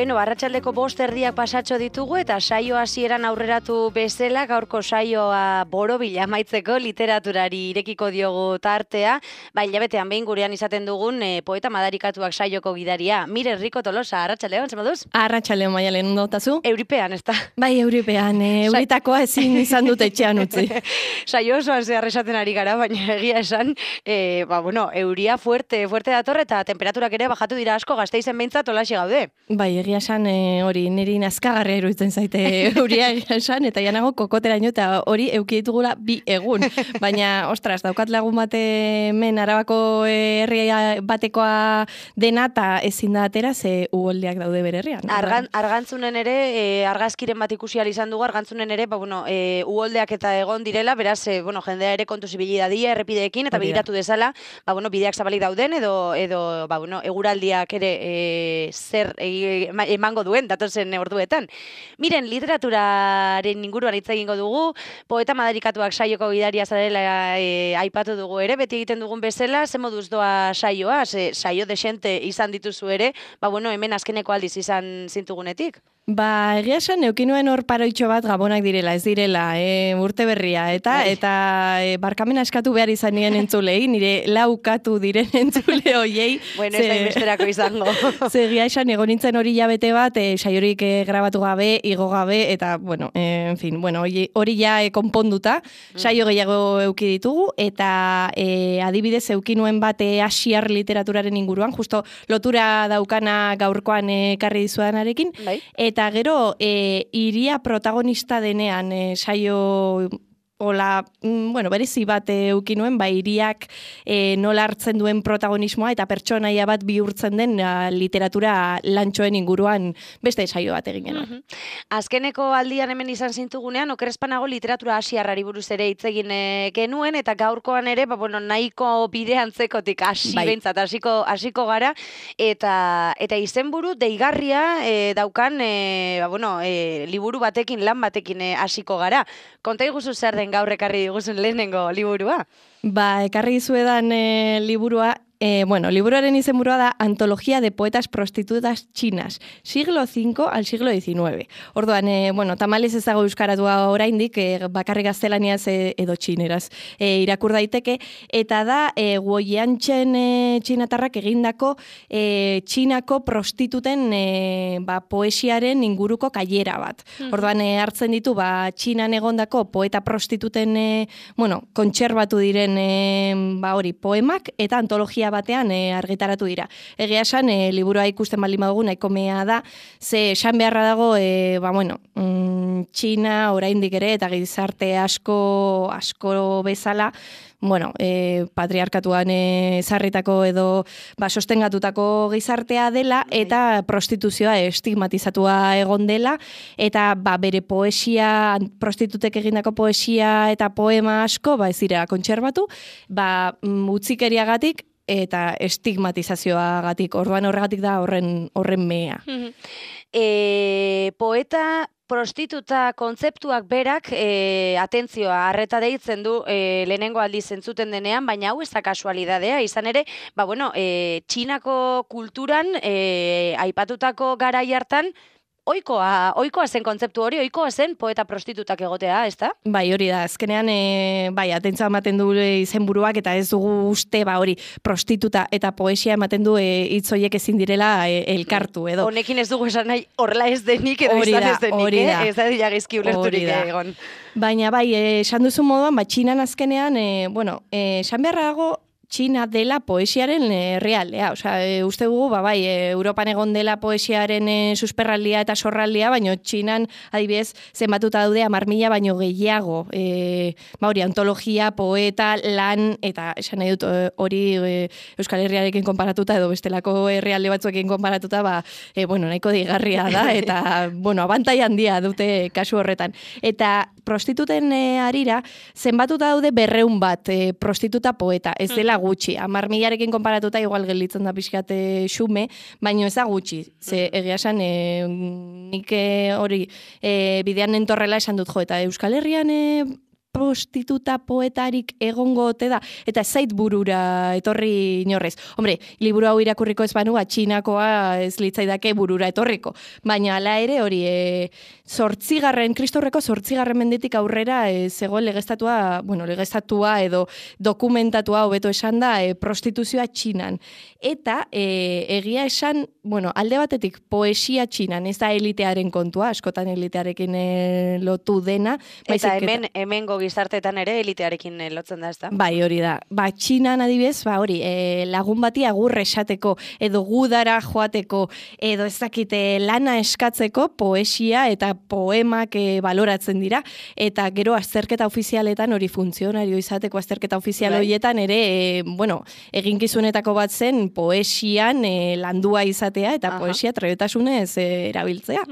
Bueno, arratsaldeko 5:00 pasatxo ditugu eta saio hasieran aurreratu bezala gaurko saioa borobila amaitzeko literaturari irekiko diogu tartea. Hilabetean behin gurean izaten dugun poeta madarikatuak saioko gidaria. Mire Rico Tolosa, arratsaldeon, zer moduz? Arratsaldeon Maialen, ondo tazu? Euripean, ezta? Bai, euripean, euritakoa ezin izan dut etxean utzi. Saio osoan zehar esaten ari gara, baina egia esan, euria fuerte dator eta temperaturak ere bajatu dira asko, Gasteizen behintzat olaxe gaude. Bai, egia esan hori niri nazkagarria iruditzen zaite euria egia esan, eta janago kokoteraino eta hori euki ditugula 2 egun. Baina, ostras, daukat lagun bate men Arabako herria batekoa dena eta ezin da atera ze uholdeak daude bere herrian. Argantzunen ere, argazkiren bat ikusi ahal izan dugu, argantzunen ere, uholdeak eta egon direla, beraz, jendea ere kontu zibili dadia errepideekin, eta begiratu dezala, bideak zabalik dauden, edo eguraldiak ere zer emango duen datozen orduetan. Miren, literaturaren inguruan hitz egingo dugu, poeta madarikatuak saioko gidaria zarela aipatu dugu ere, beti egiten dugun bezala, ze moduz doa saioa, saio desente izan dituzu ere, hemen azkeneko aldiz izan zintugunetik. Egia esan, eukinuen hor paroitxo bat gabonak direla, ez direla, urte berria, eta barkamena eskatu behar izan nien entzulei, nire laukatu diren entzule hoiei. Bueno, ez da inbesterako izango. Egia esan, egon nintzen hori jabete bat, saiorik grabatu gabe, igo gabe, eta, hori ja konponduta, saio gehiago euki ditugu, eta adibidez eukinuen bat asiar literaturaren inguruan, justo lotura daukana gaurkoan ekarri dizuedanarekin, eta gero, iria protagonista denean saio berezi bat eukinuen, iriak nola hartzen duen protagonismoa eta pertsonaia bat bihurtzen den literatura lantxoen inguruan beste saio bat egin genuen. Azkeneko aldian hemen izan zintugunean, okerespanago literatura asiarrari buruz ere hitz egin genuen, eta gaurkoan ere, nahiko bide antzekotik behintzat hasiko gara, eta izenburu deigarria daukan, liburu batekin, lan batekin hasiko gara. Konta iguzu zer den gaur ekarri diguzun lehenengo liburua? Ekarri dizuedan liburua, liburuaren izenburua da Antología de poetas prostitutas chinas, siglo V al siglo XIX. Orduan, tamales ez dago euskaratua oraindik, bakarrik gaztelaniaz edo txineraz irakur daiteke, eta da Guoyanchen txinatarrak egindako txinako prostituten poesiaren inguruko kailera bat. Orduan, hartzen ditu, txinan egondako poeta prostituten kontserbatu diren poemak eta antologia batean argitaratu dira. Egia esan, liburua ikusten baldin badugu nahiko mea da, ze esan beharra dago, Txina oraindik ere eta gizarte asko bezala, patriarkatuan ezarritako edo sostengatutako gizartea dela eta prostituzioa estigmatizatua egon dela, eta bere poesia, prostitutek egindako poesia eta poema asko ez dira kontserbatu, utzikeriagatik eta estigmatizazioagatik, orduan horregatik da horren mea. Poeta prostituta kontzeptuak berak atentzioa arreta deitzen du lehenengo aldiz entzuten denean, baina hau ez da kasualidadea, izan ere, Txinako kulturan aipatutako garai hartan Oikoa zen kontzeptu hori, oikoa zen poeta prostitutak egotea, ez da? Hori da, azkenean, atentzioa ematen du izenburuak eta ez dugu uste, hori, prostituta eta poesia ematen du hitz horiek ezin direla elkartu, edo. Honekin ez dugu esan nahi, horrela ez denik edo izan ez denik, ez da dira gizki ulerturik egon. Baina, esan duzu moduan, Txinan azkenean, esan beharra dago, Txina dela poesiaren realea. Uste dugu, Europan egon dela poesiaren susperraldia eta sorraldia, baina Txinan, adibidez, zenbatuta daude 10.000 baino gehiago. Antologia, poeta, lan, eta esan nahi dut hori Euskal Herriarekin konparatuta, edo bestelako herrialde batzuekin konparatuta, nahiko digarria da, eta, abantai handia dute kasu horretan. Eta prostituten harira, zenbatuta daude 200 bat prostituta poeta, ez dela gutxi. 10.000-arekin konparatuta igual gelditzen da pixkat xume, baina ez da gutxi. Ze egia esan, nik hori bidean entorrela esan dut eta Euskal Herrian prostituta poetarik egongo ote da, eta ez zait burura etorri inorrez. Hombre, liburu hau irakurriko ez banu, Txinakoa ez litzaidake burura etorriko. Baina ala ere hori, Kristaurreko 8. mendetik aurrera zegoen legeztatua edo dokumentatua hobeto esan da prostituzioa Txinan. Eta egia esan, alde batetik poesia Txinan, ez da elitearen kontua, askotan elitearekin lotu dena. Eta hemengo gizarteetan ere elitearekin lotzen da, ez da? Bai, hori da. Txinan adibidez, lagun bati agur esateko, edo gudara joateko, edo ez dakite lana eskatzeko poesia eta poemak baloratzen dira, eta gero azterketa ofizialetan hori funtzionario izateko azterketa ofizial horietan ere, eginkizunetako bat zen poesian landua izatea, eta poesia trebetasunez erabiltzea.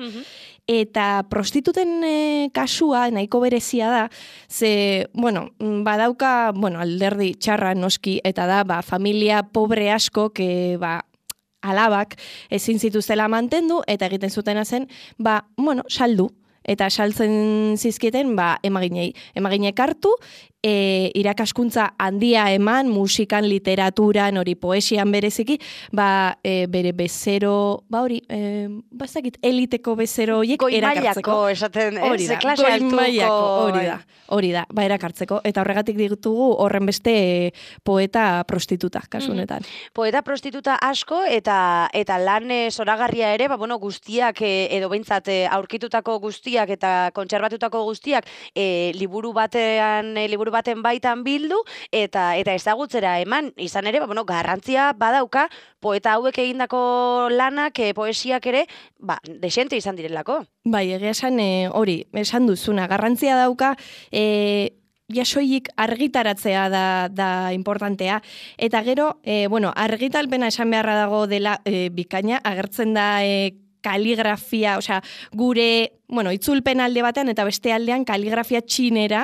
Eta prostituten kasua nahiko berezia da, ze, badauka, alderdi txarra noski, eta da, familia pobre askok, alabak ezin zituztela mantendu, eta egiten zutena zen, saldu. Eta saltzen zizkieten, emaginei. Emaginek hartu, irakaskuntza handia eman, musikan, literaturan, hori poesian bereziki, bere bezero, eliteko bezero horiek erakartzeko. Goi esaten, klase altuko. Hori da, erakartzeko. Eta horregatik ditugu horren beste poeta prostituta, kasu honetan. Poeta prostituta asko, eta lan zoragarria ere, guztiak, edo behintzat aurkitutako guztiak, eta kontserbatutako guztiak, liburu baten baitan bildu, eta ezagutzera eman, izan ere, garrantzia badauka, poeta hauek egindako lanak, poesiak ere, desente izan direlako. Bai, egia esan hori, esan duzuna, garrantzia dauka, jasoilik argitaratzea da importantea. Eta gero, argitalpena esan beharra dago dela bikaina, agertzen da kaligrafia, gure, itzulpen alde batean eta beste aldean kaligrafia txinera,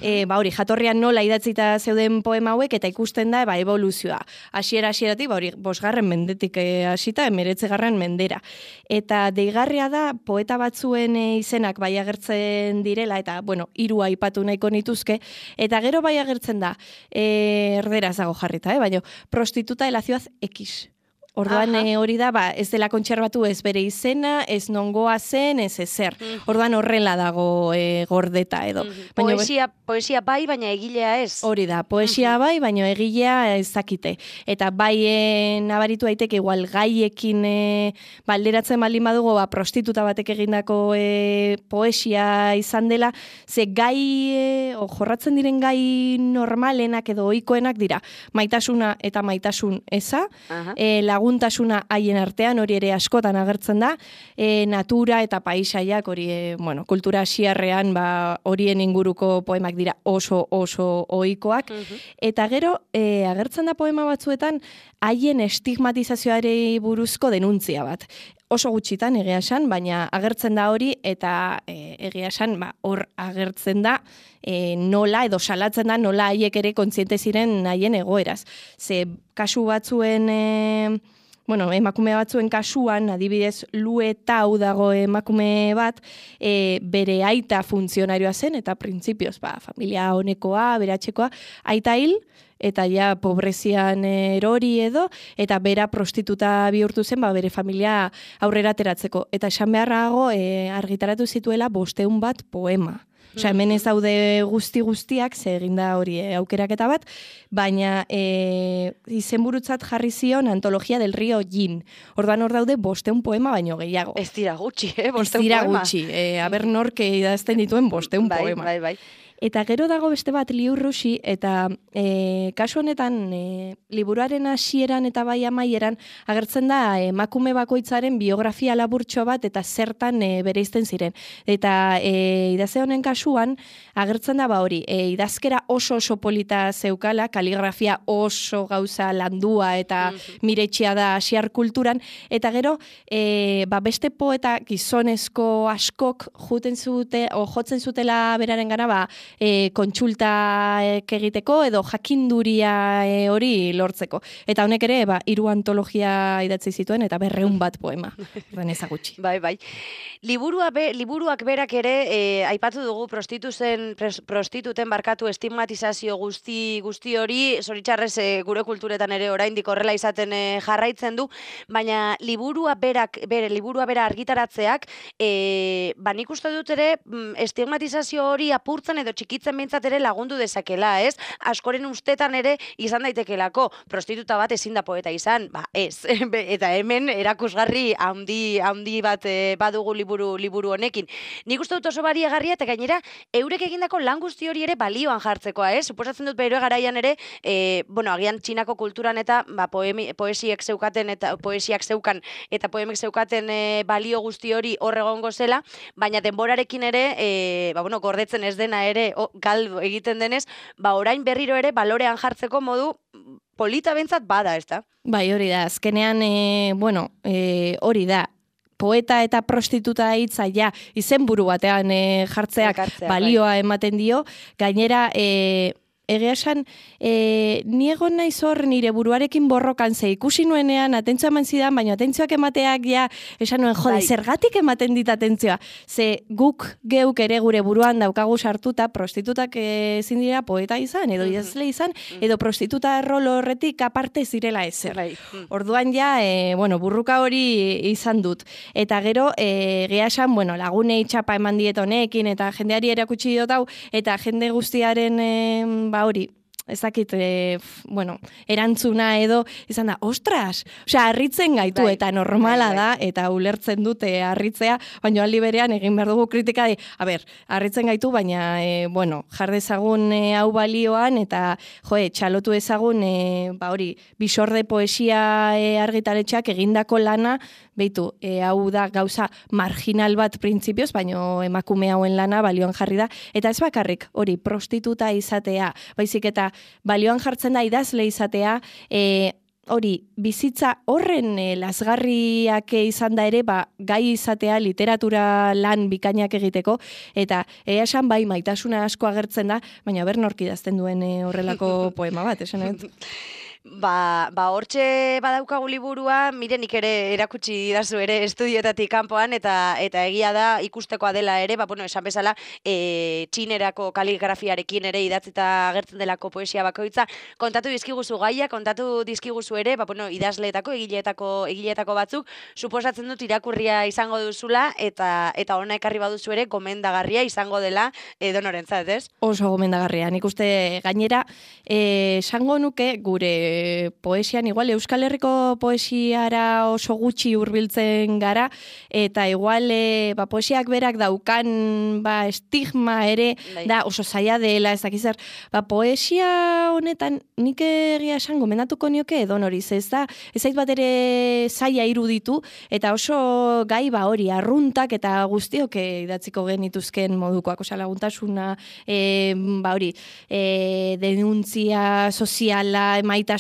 jatorrian nola idatzita zeuden poema hauek, eta ikusten da, evoluzioa. Hasieratik, 5. mendetik hasita, 19. mendera. Eta deigarria da, poeta batzuen izenak bai agertzen direla, eta, 3 aipatu nahiko nituzke, eta gero bai agertzen da, erderaz dago jarrita, baina, prostituta de la ciudad X. Orduan hori da, ez dela kontserbatu ez bere izena, ez nongoa zen, ez ezer. Orduan horrela dago gordeta edo. Poesia bai, baina egilea ez. Hori da, poesia bai, baina egilea ez dakite. Eta bai nabaritu daiteke igual gaiekin balderatzen baldin badugu prostituta batek egindako poesia izan dela, ze gai, jorratzen diren gai normalenak edo ohikoenak dira. Maitasuna eta maitasun eza, laguntasuna haien artean, hori ere askotan agertzen da, natura eta paisaiak, hori, kultura asiarrean, horien inguruko poemak dira oso ohikoak, eta gero, agertzen da poema batzuetan, haien estigmatizazioari buruzko denuntzia bat. Oso gutxitan egia esan, baina agertzen da hori, eta egia esan, hor agertzen da nola, edo salatzen da nola haiek ere kontziente ziren haien egoeraz. Ze kasu batzuen, emakume batzuen kasuan, adibidez, Luetau dago emakume bat, bere aita funtzionarioa zen, eta printzipioz, familia honekoa, beratxekoa, aita hil, eta ja pobrezian erori edo, eta bera prostituta bihurtu zen, bere familia aurrera ateratzeko. Eta esan beharrago argitaratu zituela 500 bat poema. Hemen ez daude guztiak, ze eginda hori aukeraketa bat, baina izenburutzat jarri zion Antologia del Río Yin. Orduan hor daude 500 poema baino gehiago. Ez dira gutxi, 500 poema. Ez dira gutxi, aber nork idazten dituen 500 poema. Bai. Eta gero dago beste bat Liu Rusi, eta kasu honetan liburuaren hasieran eta bai amaieran agertzen da emakume bakoitzaren biografia laburtxo bat eta zertan bereizten ziren. Eta idazle honen kasuan agertzen da hori, idazkera oso polita zeukala, kaligrafia oso gauza landua eta miretxia da asiar kulturan, eta gero beste poeta gizonezko askok jotzen zutela beraren gana, kontsultak egiteko edo jakinduria hori lortzeko. Eta honek ere, 3 antologia idatzi zituen eta 200 bat poema. Ezagutxi. Bai. Liburuak berak ere, aipatu dugu prostituten barkatu estigmatizazio guzti hori, zoritxarrez gure kulturetan ere oraindik horrela izaten jarraitzen du, baina liburua bera argitaratzeak, nik uste dut ere estigmatizazio hori apurtzen edo txikitzen behintzat ere lagundu dezakela, ez? Askoren ustetan ere izan daitekelako, prostituta bat ezin da poeta izan, ez. Eta hemen erakusgarri handi bat badugu liburu honekin. Nik uste dut oso bariagarria eta gainera eurek egindako lan guzti hori ere balioan jartzekoa, ez? Suposatzen dut bere garaian ere, agian Txinako kulturan eta poesiak zeukaten eta poesiak zeukan eta poemek zeukaten balio guzti hori horregongo zela, baina denborarekin ere, gordetzen ez dena ere galdu egiten denez, orain berriro ere balorean jartzeko modu polita bentzat bada, ez da? Bai, hori da. Azkenean, hori da. Poeta eta prostituta hitza izenburu batean jartzeak balioa ematen dio. Gainera, egia esan, ni egon naiz hor nire buruarekin borrokan ze ikusi nuenean atentzioa eman zidan, baina atentzioak emateak esan nuen, jode, zergatik ematen dit atentzioa. Ze guk geuk ere gure buruan daukagu sartuta prostitutak ezin dira poeta izan, edo idazle izan, edo prostituta rol horretik aparte zirela ezer. Orduan burruka hori izan dut. Eta gero, egia esan, lagunei txapa eman diet honekin, eta jendeari erakutsi diot hau, eta jende guztiaren hori, ezakit, erantzuna edo, izan da, ostras! Osea, harritzen gaitu, eta normala da, eta ulertzen dute harritzea, baina aldi berean egin behar dugu kritika, harritzen gaitu, baina, jar dezagun hau balioan, eta, txalotu ezagun, Bisorde poesia argitaletxeak egindako lana, beitu, hau da gauza marginal bat printzipioz, baina emakume hauen lana balioan jarri da, eta ez bakarrik, hori, prostituta izatea, baizik eta balioan jartzen da idazle izatea, hori, bizitza horren lazgarriak izan da ere, gai izatea literatura lan bikainak egiteko, eta esan maitasuna asko agertzen da, baina nork idazten duen horrelako poema bat, esan ez? Hortxe badaukagu liburua, nik ere erakutsi didazu ere estudioetatik kanpoan, eta egia da ikustekoa dela ere, esan bezala, txinerako kaligrafiarekin ere idatzita agertzen delako poesia bakoitza. Kontatu dizkiguzu gaia, kontatu dizkiguzu ere, idazleetako, egileetako batzuk, suposatzen dut irakurria izango duzula, eta hona ekarri baduzu ere, gomendagarria izango dela edonorentzat, ez? Oso gomendagarria, nik uste gainera, esango nuke gure poesian, igual Euskal Herriko poesiara oso gutxi hurbiltzen gara, eta igual poesiak berak daukan estigma ere, da oso zaila dela, ez dakiz zer, poesia honetan nik egia esan gomendatuko nioke edonoriz, ez da, ez zait bat ere zaila iruditu, eta oso gai hori, arruntak eta guztiok idatziko genituzken modukoak, osa laguntasuna, hori, denuntzia soziala, emaitasuna,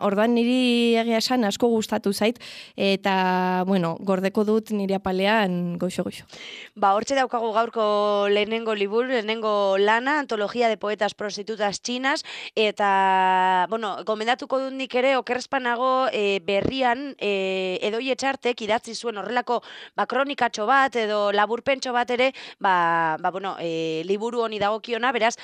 orduan niri egia esan asko gustatu zait, eta, gordeko dut nire apalean goixo-goixo. Hortxe daukagu gaurko lehenengo liburu, lehenengo lana, antologia de poetas prostitutas chinas, eta, gomendatuko dut nik ere, okerrezpanago berrian, Edoi Etxartek idatzi zuen horrelako kronikatxo bat, edo laburpentxo bat ere, liburu honi dagokiona, beraz,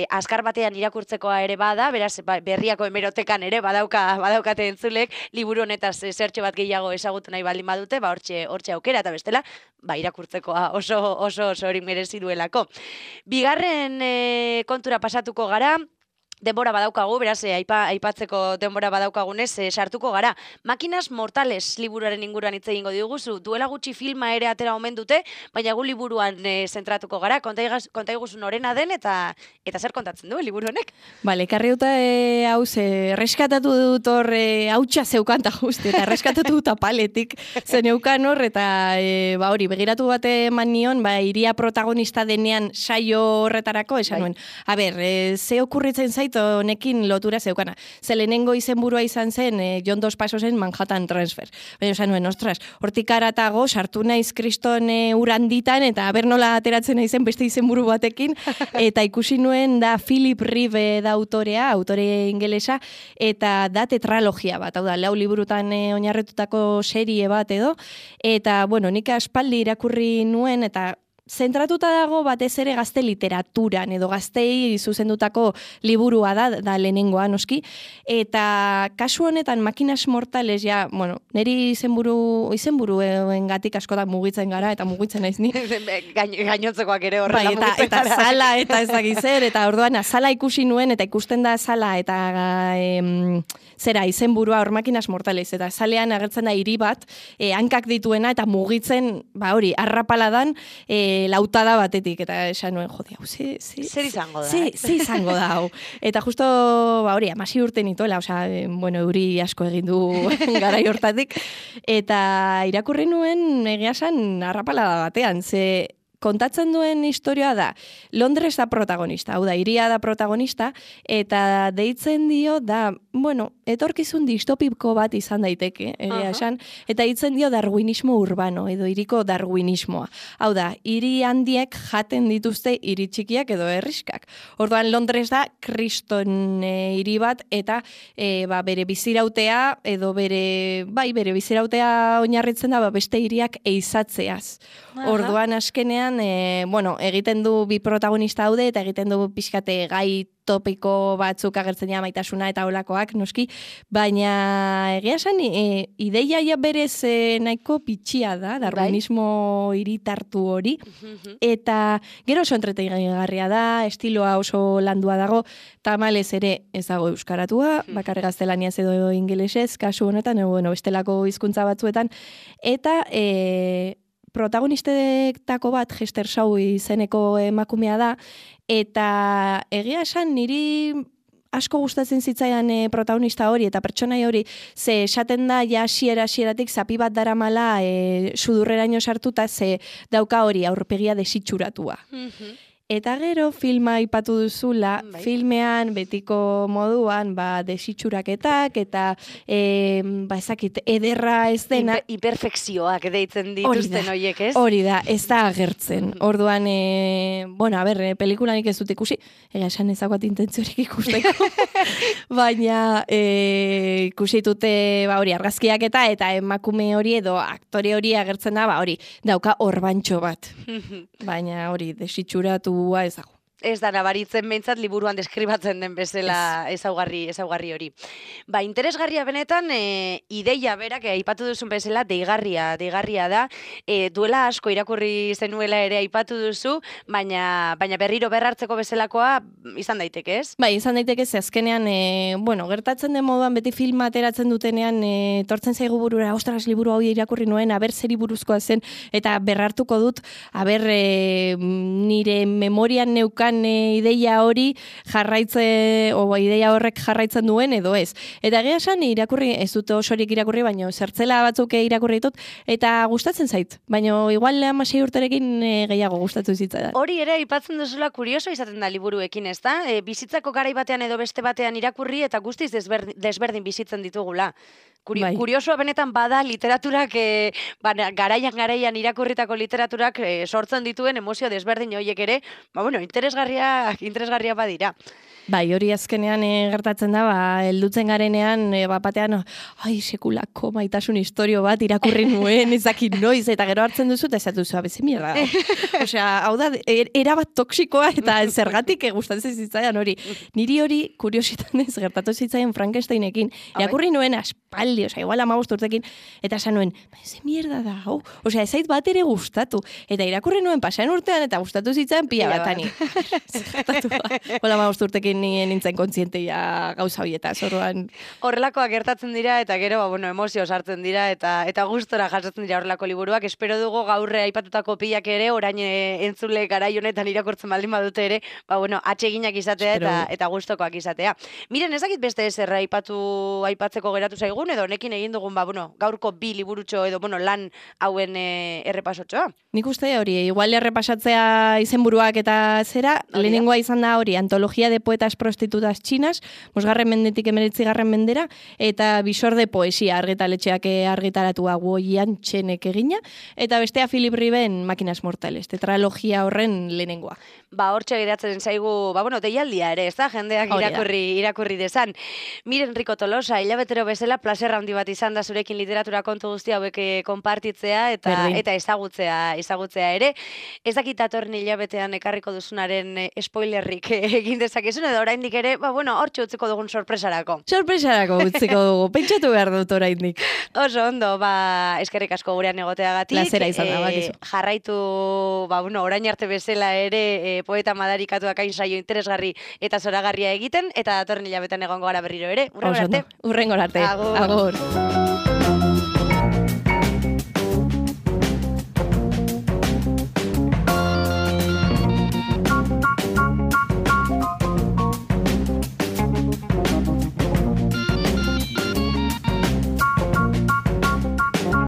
azkar batean irakurtzekoa ere bada, beraz, berriako hemerotekan ere badaukate entzulek, liburu honetaz zertxo bat gehiago ezagutu nahi baldin badute, hortxe aukera, eta bestela, irakurtzekoa oso hori merezi duelako. Bigarren kontura pasatuko gara, denbora badaukagu, beraz, aipatzeko denbora badaukagunez, sartuko gara. Makinas Mortales liburuaren inguruan hitz egingo diguzu, duela gutxi filma ere atera omen dute, baina gu liburuan zentratuko gara, konta iguzu norena den, eta zer kontatzen du, liburu honek? Bale, karri dut hau reskatatu dut hor hautsa zeukanta justi, eta reskatatu dut apaletik zeneukan hor, eta hori, begiratu bate eman nion, iria protagonista denean saio horretarako, esan nuen. A ber, ze okurritzen zait dit honekin lotura zeukana. Ze lehenengo izenburua izan zen John Dos Pasosen Manhattan Transfer. Baina esan nuen, ostras, hortik aratago sartu naiz kriston uranditan eta aber nola ateratzen naizen beste izenburu batekin eta ikusi nuen da Philip Reeve da autore ingelesa, eta da tetralogia bat, hau da, 4 liburutan oinarretutako serie bat edo, eta, bueno, nik aspaldi irakurri nuen, eta zentratuta dago batez ere gazte literaturan edo gaztei zuzendutako liburua da lehenengoa noski, eta kasu honetan Makinas Mortales ja, bueno, niri izenburuengatik askotan mugitzen gara eta mugitzen naiz ni. Gainotzekoak ere horrela mugitzen gara. Eta zala eta ez dakizer, eta orduan azala ikusi nuen eta ikusten da azala eta zera izenburua hor Makinas Mortales, eta zalean agertzen da hiri bat, hankak dituena eta mugitzen, hori, arrapaladan, lautada batetik, eta esan nuen, jode, hau, zer izango da? Zer izango da, hau. Eta justo, hori, 16 urte nituela, bueno, euri asko egin du garai hortatik, eta irakurri nuen egia esan arrapalada batean, ze kontatzen duen historia da, Londres da protagonista, hau da, hiria da protagonista, eta deitzen dio da, bueno, etorkizun distopiko bat izan daiteke, egia esan, eta deitzen dio darwinismo urbano, edo hiriko darwinismoa. Hau da, hiri handiek jaten dituzte hiri txikiak edo herriskak. Orduan Londres da kriston hiri bat, eta bere bizirautea, edo bere bizirautea oinarritzen da, beste hiriak eizatzeaz. Orduan askenean, bueno, egiten du bi protagonista haude, eta egiten du pixkate gai topiko batzuk agertzen ja maitasuna eta olakoak, noski, baina egia esan, ideia ja berez nahiko pitxia da, darwinismo hiritartu hori, eta gero oso entretenigarria da, estiloa oso landua dago, tamalez ere ez dago euskaratua, bakarrik gaztelaniaz edo ingelesez, kasu honetan, bueno, bestelako hizkuntza batzuetan, eta protagonistetako bat Hester Shaw izeneko emakumea da, eta egia esan niri asko gustatzen zitzaidan protagonista hori eta pertsonai hori, ze esaten da ja hasieratik zapi bat daramala sudurreraino sartuta, ze dauka hori aurpegia desitxuratua. Eta gero filma aipatu duzula, filmean betiko moduan desitxuraketak eta ezakit ederra ez dena. Hiperfekzioak deitzen dituzten horiek, ez? Hori da, ez da agertzen. Orduan, bueno, pelikulanik ez dut ikusi, esan ezaguat intentziorik ikusteko, baina ikusi dute hori argazkiak eta emakume hori edo aktore hori agertzen da, hori dauka orbantxo bat. Baina hori desitxuratu ezago. Ez da nabaritzen behintzat liburuan deskribatzen den bezala ezaugarri hori. Interesgarria benetan, ideia berak, aipatu duzun bezala, deigarria da, duela asko irakurri zenuela ere aipatu duzu, baina berriro berrartzeko bezalakoa izan daiteke, ez? Bai, izan daiteke, ze azkenean, bueno, gertatzen den moduan beti filma ateratzen dutenean, tortzen zaigu burura, ostras, liburu hau irakurri nuen, aber zeri buruzkoa zen, eta berrartuko dut, aber nire memorian neukan ideia hori ideia horrek jarraitzen duen edo ez. Eta egia esan irakurri, ez dut osorik irakurri, baina zertzela batzuk irakurri ditut, eta gustatzen zait. Baina igual 16 urterekin gehiago gustatu zitzaidan. Hori ere aipatzen duzula kurioso izaten da liburuekin, ez da? Bizitzako garai batean edo beste batean irakurri eta guztiz desberdin bizitzen ditugula. Kuriosoa benetan bada literaturak, garaian irakurritako literaturak sortzen dituen emozio desberdin horiek ere, interesgarria badira. Bai, hori azkenean gertatzen da, heldutzen garenean, batean, sekulako maitasun historio bat irakurri nuen, ezakin noiz, eta gero hartzen duzu, eta ezatu zu, abeze mierda. Osea, hau da, erabat toksikoa, eta zergatik gustatzen zitzaidan hori. Niri hori, kuriositanez, gertatu zitzaidan Frankensteinekin, irakurri nuen aspaldi, osea, igual 15 urtekin, eta esan nuen, ze mierda da, hau. Osea, ezait bat ere gustatu. Eta irakurri nuen pasaen urtean, eta gustatu zitzaidan pila batani. Gertatu ba. Hola 15 urtekin nien nintzen kontzienteia gauza horietaz, orduan. Horrelakoak gertatzen dira, eta gero, emozio sartzen dira, eta gustora jasotzen dira horrelako liburuak. Espero dugu gaurre aipatutako pilak ere, orain entzule garai honetan irakurtzen baldin badute ere, atseginak izatea eta gustokoak izatea. Miren, ezakit beste ezerra aipatzeko geratu zaigun, edo honekin egin dugun, gaurko bi liburutxo edo, lan hauen errepasotxoa. Nik uste hori, igual errepasatzea izenburuak eta zera, eta lehenengoa izan da hori, antologia de poetas prostitutas chinas, 5. mendetik 19. mendera, eta bisor de poesia argitaletxeak argitaratua Guoian txenek egina, eta bestea Philip Riben Máquinas Mortales, tetralogia horren lehenengoa. Hortxe geratzen zaigu, deialdia ere, ez da, jendeak irakurri desan. Miren Rico Tolosa, hilabetero bezala, placer handi bat izan da zurekin literatura kontu guzti hauek konpartitzea eta ezagutzea ere. Ez dakit datorren hilabetean ekarriko duzunaren spoilerrik egin dezakezun, edo oraindik ere, hortxe utziko dugun sorpresarako. Sorpresarako utziko dugu, pentsatu behar dut oraindik. Oso ondo, eskerrik asko gurean egoteagatik. Plazera izan da, bakizu. Jarraitu, orain arte bezala ere, poeta madarikatuak hain saio interesgarri eta zoragarria egiten, eta datorren hilabetean egongo gara berriro ere. Urrengor arte. Agur.